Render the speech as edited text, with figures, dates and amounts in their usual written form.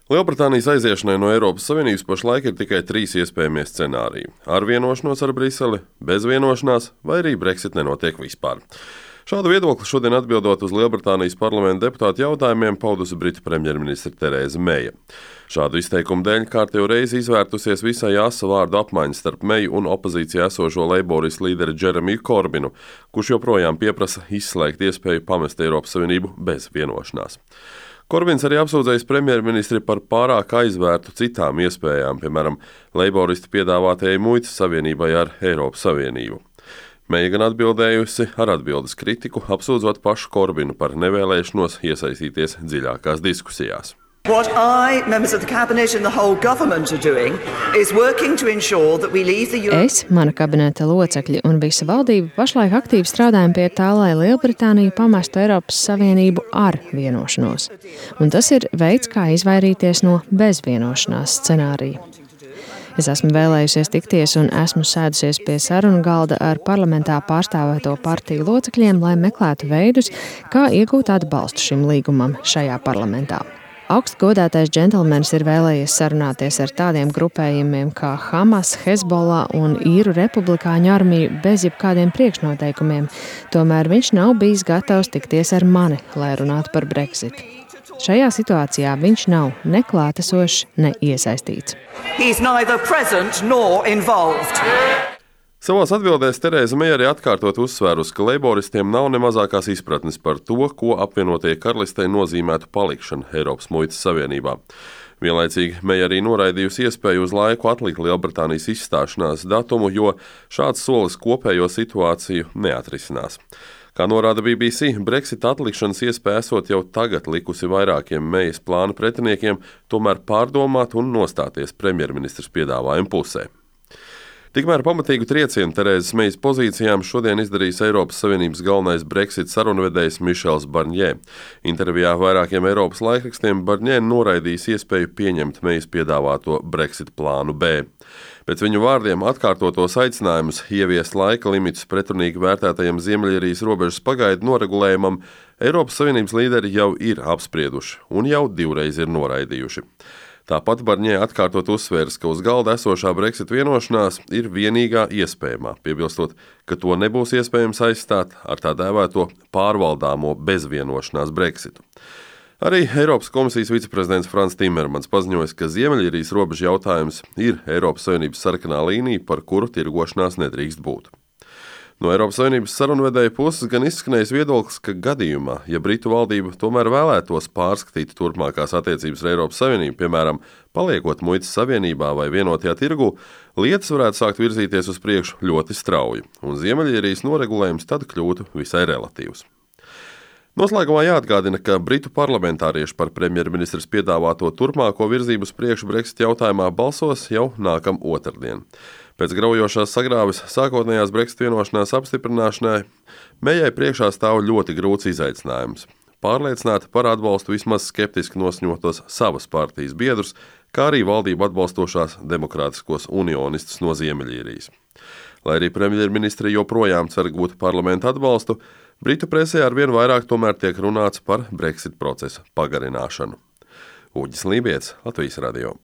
Lielbritānijas aiziešanai no Eiropas Savienības pašlaik ir tikai 3 iespējamie scenāriji – ar vienošanos ar Briseli, bez vienošanās vai arī Brexit nenotiek vispār. Šādu viedokli šodien atbildot uz Lielbritānijas parlamenta deputātu jautājumiem paudusi Britu premjerministre Terēza Meija. Šādu izteikumu dēļ kārtējo reizi izvērtusies visai asa vārdu apmaiņa starp Meiju un opozīcijā esošo leiboristu līderi Džeremiju Korbinu, kurš joprojām pieprasa izslēgt iespēju pamest Eiropas Savienību bez vienošanās. Korbins arī apsūdzējis premjerministri par pārāk aizvērtu citām iespējām, piemēram, leiboristi piedāvātajai muitas savienībai ar Eiropas Savienību. Meija gan atbildējusi ar atbildes kritiku, apsūdzot pašu Korbinu par nevēlēšanos iesaistīties dziļākās diskusijās. What I, members of the cabinet and the whole government are doing is working to ensure that we leave the Es, mana kabineta locekļi un visa valdība pašlaik aktīvi strādājam pie tā, lai Lielbritānija pamestu Eiropas Savienību ar vienošanos. Un tas ir veids, kā izvairīties no bezvienošanās scenārija. Es esmu vēlējusies tikties un esmu sēdusies pie sarunu galda ar parlamentā pārstāvēto partiju locekļiem, lai meklētu veidus, kā iegūt atbalstu šim līgumam šajā parlamentā. Augstgodātais džentelmenis ir vēlējies sarunāties ar tādiem grupējumiem kā Hamas, Hezbollah un Īru republikāņu armiju bez jebkādiem priekšnoteikumiem, tomēr viņš nav bijis gatavs tikties ar mani, lai runātu par Brexit. Šajā situācijā viņš nav ne klātesošs, ne iesaistīts. Savās atbildēs Terēza Meija arī atkārtot uzsvērus, ka leiboristiem nav ne mazākās izpratnes par to, ko apvienotajai karalistei nozīmētu palikšana Eiropas muitas savienībā. Vienlaicīgi Meija arī noraidījusi iespēju uz laiku atlikt Lielbritānijas izstāšanās datumu, jo šāds solis kopējo situāciju neatrisinās. Kā norāda BBC, Brexit atlikšanas iespēja esot jau tagad likusi vairākiem Meijas plāna pretiniekiem tomēr pārdomāt un nostāties premjerministres piedāvājuma pusē. Tikmēr pamatīgu triecienu Terēzas Meijas pozīcijām šodien izdarījis Eiropas Savienības galvenais Brexit sarunvedējs Mišels Barņē. Intervijā vairākiem Eiropas laikrakstiem Barņē noraidījis iespēju pieņemt Meijas piedāvāto Brexit plānu B. Pēc viņu vārdiem atkārtotos aicinājumus ieviest laika limitus pretrunīgi vērtētajam Ziemeļīrijas robežas pagaidu noregulējumam Eiropas Savienības līderi jau ir apsprieduši un jau 2 reizes ir noraidījuši. Tāpat Barņē atkārtot uzsvērs, ka uz galda esošā Brexit vienošanās ir vienīgā iespējamā, piebilstot, ka to nebūs iespējams aizstāt ar tā dēvēto pārvaldāmo bezvienošanās Brexitu. Arī Eiropas komisijas viceprezidents Frans Timermans paziņoja, ka Ziemeļīrijas robežu jautājums ir Eiropas Savienības sarkanā līnija, par kuru tirgošanās nedrīkst būt. No Eiropas Savienības sarunvedēja puses gan izskanējis viedoklis, ka gadījumā, ja Britu valdība tomēr vēlētos pārskatīt turpmākās attiecības ar Eiropas Savienību, piemēram, paliekot muitas savienībā vai vienotajā tirgu, lietas varētu sākt virzīties uz priekšu ļoti strauji, un Ziemeļīrijas noregulējums tad kļūtu visai relatīvs. Noslēgumā jāatgādina, ka Britu parlamentārieši par premjerministres piedāvāto turpmāko virzību uz priekšu Brexit jautājumā balsos jau nākam otrdien. Pēc graujošās sagrāves sākotnējās Brexit vienošanās apstiprināšanai Meijai priekšā stāv ļoti grūts izaicinājums – pārliecināt par atbalstu vismaz skeptiski nosņotos savas partijas biedrus, kā arī valdību atbalstošās demokrātiskos unionistus no Ziemeļīrijas. Lai arī premjerministre joprojām cer gūt parlamenta atbalstu, Britu presē arvien vairāk tomēr tiek runāts par Brexit procesa pagarināšanu. Uģis Lībijets, Latvijas radio.